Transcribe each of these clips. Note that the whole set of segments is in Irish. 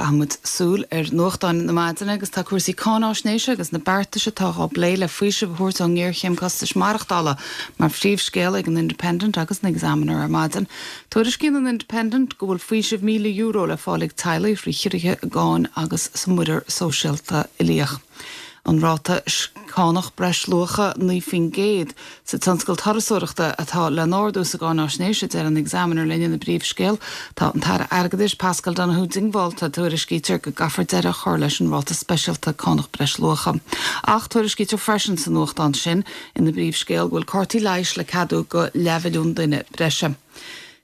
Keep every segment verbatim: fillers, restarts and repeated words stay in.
Caithfimid súil ar nuachtáin na maidine agus tá cúrsaí cáinaisnéise agus na beartais atá á bplé le faoiseamh a thabhairt ón ngéarchéim costais maireachtála mar phríomhscéal ag an Independent agus an Examiner ar maidin. Tuairiscíonn an Independent go bhfuil faoiseamh míle euro le fáil ag teaghlaigh trí chiorruithe i gcáin agus sa muirear sóisialta uilíoch. An ráta cánach breisluacha naoi faoin gcéad sa tionscal turasóireachta atá le n-ardú sa gcáinaisnéis a deir an Examiner linn ina bpríomhscéal tá an tAire Airgeadais Pascal Donoghue diongbháilte tuairiscítear go gcaithfear deireadh a chur leis an ráta speisialta cánach breisluacha. Ach tuairiscítear freisin sa nuachtán sin ina bpríomhscéal go bhfuil cártaí leighis le ceadú go leathmhilliún duine breise.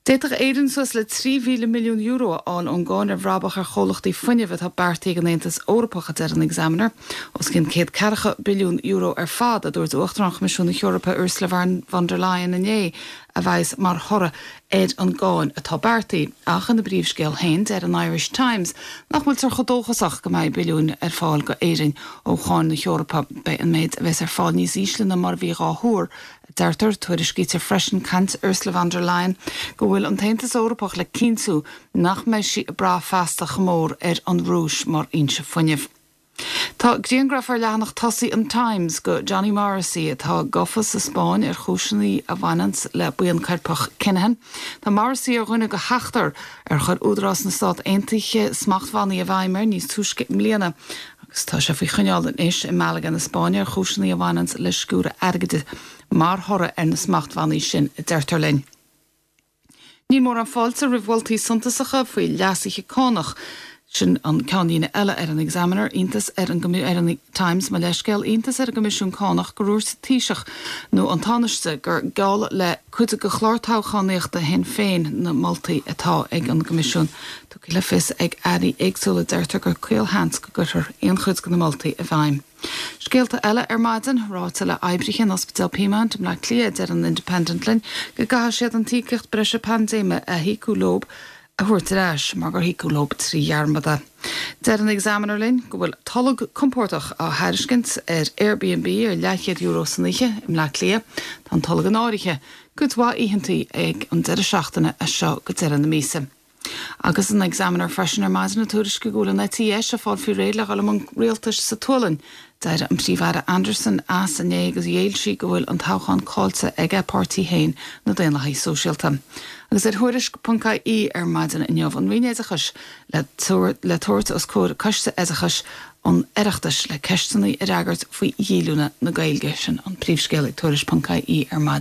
D'fhéadfadh Éirinn suas le trí mhíle milliún euro a fháil ón gcáin ar bhrabach ar chomhlachtaí fuinnimh atá beartaithe ag an Aontas Eorpach a deir an Examiner. Os cionn céad ceathracha billiún euro ar fad a dúirt Uachtarán Choimisiún na hEorpa Ursula von der Leyen inné a bheas mar thoradh ar an gcáin atá beartaithe ach ina bpríomhscéal féin deir an Irish Times nach bhfuiltear chomh dóchasach go mbeidh billiúin ar fáil go Éirinn ó cháin na hEorpa beidh an méid a bheas ar fáil níos ísle ná mar a bhí á thuar Deirtear tuairiscítear freisin caint Ursula von der Leyen go bhfuil an tAontas Eorpach le cinntiú nach mbeidh sí ag brath feasta chomh mór ar an Rúis mar fhoinse fuinnimh. Tá grianghraf ar leathanach tosaigh an Times go Johnny Morrissey atá gafa sa Spáinn ar chúiseanna a bhaineann le buíon coirpeach Kinahan. Tá Morrissey ar dhuine go sheachtar ar chuir Údarás na Stát Aontaithe smachtbhannaí i bhfeidhm air níos túisce i mbliana agus tá sé faoi choinneáil anois i Malaga na Spáinne ar chúiseanna a bhaineann le sciúradh airgid mar thoradh ar na smachtbhannaí sin a deirtear linn. Níl mórán fáilte roimh mholtaí suntasacha faoi leasuithe cánach. Sin an ceannlíne eile ar an Examiner iontas ar an ar an Times mo leithscéal iontas ar an gCoimisiún Cánach gur dhúirt an Taoiseach nó an Tánaiste gur geall le cuid de chlár toghchánaíochta Shinn Féin na moltaí atá ag an gCoimisiún. Tugtha le fios ag airí éagsúla deirtear gur caolsheans go gcuirfear aon chuid de na moltaí i bhfeidhm. Scéalta eile ar maidin ráite le oibrithe in Ospidéal Peamount i mBleá Cliath deir an Independent linn go gcaithfidh siad an tíocht breise paindéime a híocadh leo a thabhairt ar ais mar gur híocadh leo trí dhearmad é. Deir an Examiner linn go bhfuil tolg compordach á thairiscint ar Airbnb ar leathchéad euro san oíche i mBleá Cliath Tá an tolg in áirithe, cuid mhaith oícheantaí ag an deireadh seachtaine as seo go deireadh na míosa. Agus an Examiner freisin ar maidin ag tuairisciú go bhfuil an eite dheis ag fáil faoi réir le dhul i mbun rialtais sa tSualainn. D'éirigh an Príomh-Aire Anderson as inné agus ghéill sí go bhfuil an toghchán caillte ag a páirtí féin na Daonlathaigh Sóisialta. Agus ar thuairisc ponc ie ar maidin inniu an Roinn Oideachais le le tabhairt os comhair coiste oideachais an Oireachtais le ceisteanna a fhreagairt faoi dhíolúine na Gaeilge sin an príomhscéal ag tuairisc ponc ie ar maidin.